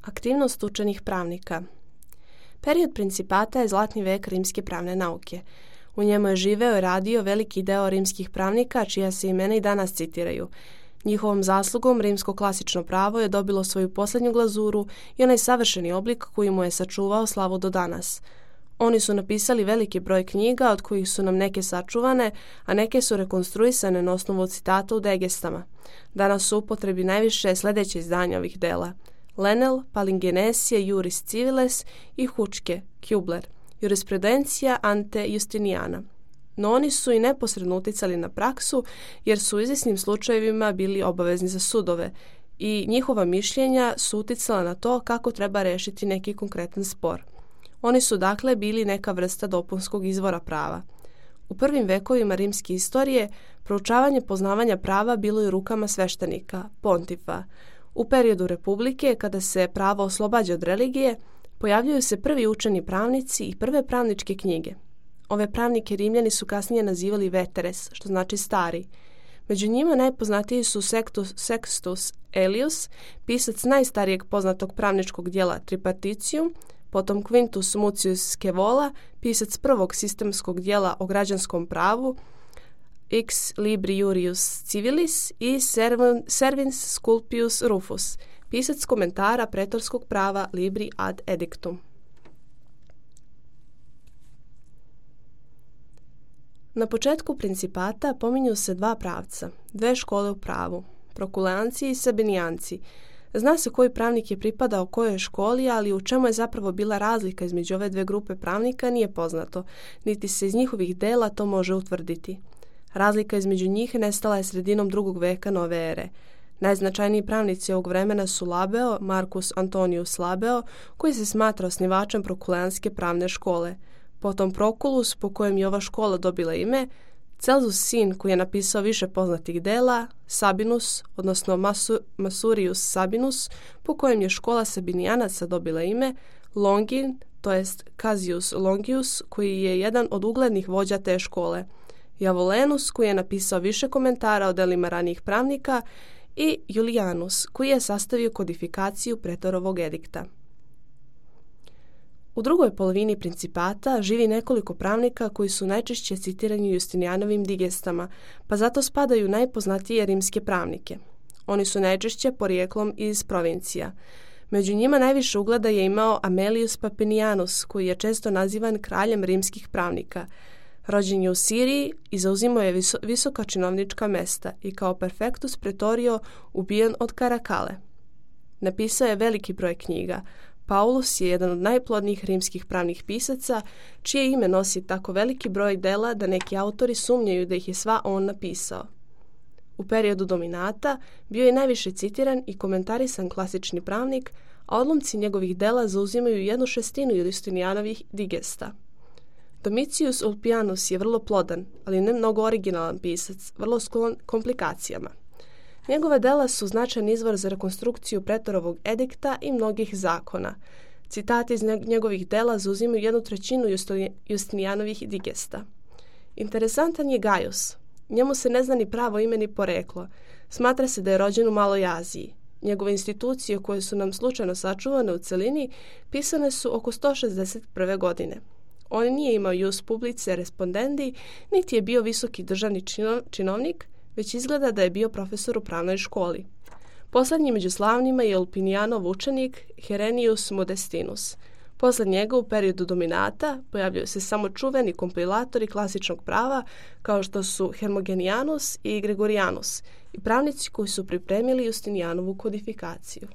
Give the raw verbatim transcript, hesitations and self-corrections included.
Aktivnost učenih pravnika. Period principata je zlatni vek rimske pravne nauke. U njemu je živeo i radio veliki deo rimskih pravnika, čija se imena i danas citiraju. Njihovom zaslugom rimsko klasično pravo je dobilo svoju posljednju glazuru i onaj savršeni oblik koji mu je sačuvao slavu do danas. Oni su napisali veliki broj knjiga, od kojih su nam neke sačuvane, a neke su rekonstruisane na osnovu citata u Degestama. Danas su u upotrebi najviše sljedeće izdanja ovih dela: Lenel, Palingenesie, Juris Civiles i Hučke, Kubler, Jurisprudencija ante Justiniana. No oni su i neposredno uticali na praksu, jer su u izvjesnim slučajevima bili obavezni za sudove i njihova mišljenja su uticala na to kako treba rešiti neki konkretan spor. Oni su dakle bili neka vrsta dopunskog izvora prava. U prvim vekovima rimske istorije proučavanje poznavanja prava bilo je u rukama sveštenika, pontifa. U periodu republike, kada se pravo oslobađa od religije, pojavljuju se prvi učeni pravnici i prve pravničke knjige. Ove pravnike Rimljani su kasnije nazivali veteres, što znači stari. Među njima najpoznatiji su Sextus, Sextus Aelius, pisac najstarijeg poznatog pravničkog dijela Tripartitium, potom Quintus Mucius Scaevola, pisac prvog sistemskog dijela o građanskom pravu, Ex Libri Jurius Civilis, i Servins Sculpius Rufus, pisac komentara pretorskog prava Libri ad Edictum. Na početku principata pominju se dva pravca, dve škole u pravu, prokuleanci i sabinijanci. Zna se koji pravnik je pripadao kojoj školi, ali u čemu je zapravo bila razlika između ove dve grupe pravnika nije poznato, niti se iz njihovih dela to može utvrditi. Razlika između njih nestala je sredinom drugog veka nove ere. Najznačajniji pravnici ovog vremena su Labeo, Marcus Antonius Labeo, koji se smatra osnivačem prokuleanske pravne škole, potom Proculus, po kojem je ova škola dobila ime, Celsus sin, koji je napisao više poznatih dela, Sabinus, odnosno Masu, Masurius Sabinus, po kojem je škola Sabinijanaca dobila ime, Longin, to jest Cassius Longius, koji je jedan od uglednih vođa te škole, Javolenus, koji je napisao više komentara o delima ranijih pravnika, i Julianus, koji je sastavio kodifikaciju pretorovog edikta. U drugoj polovini principata živi nekoliko pravnika koji su najčešće citirani u Justinijanovim digestama, pa zato spadaju najpoznatije rimske pravnike. Oni su najčešće porijeklom iz provincija. Među njima najviše ugleda je imao Amelius Papinianus, koji je često nazivan kraljem rimskih pravnika. Rođen je u Siriji i zauzimao je viso, visoka činovnička mesta i kao perfektus pretorio ubijen od Karakale. Napisao je veliki broj knjiga. Paulus je jedan od najplodnijih rimskih pravnih pisaca, čije ime nosi tako veliki broj dela da neki autori sumnjaju da ih je sva on napisao. U periodu dominata bio je najviše citiran i komentarisan klasični pravnik, a odlomci njegovih dela zauzimaju jednu šestinu Justinijanovih digesta. Domitius Ulpianus je vrlo plodan, ali ne mnogo originalan pisac, vrlo sklon komplikacijama. Njegove dela su značajan izvor za rekonstrukciju pretorovog edikta i mnogih zakona. Citati iz njegovih dela zauzimaju jednu trećinu Justinijanovih digesta. Interesantan je Gaius. Njemu se ne zna ni pravo ime ni poreklo. Smatra se da je rođen u Maloj Aziji. Njegove institucije, koje su nam slučajno sačuvane u celini, pisane su oko sto šezdeset prve. godine. On nije imao ius publice respondendi, niti je bio visoki državni činovnik, već izgleda da je bio profesor u pravnoj školi. Poslednji među slavnima je Ulpinijanov učenik Herenius Modestinus. Posle njega u periodu dominata pojavljaju se samo čuveni kompilatori klasičnog prava kao što su Hermogenianus i Gregorianus i pravnici koji su pripremili Justinijanovu kodifikaciju.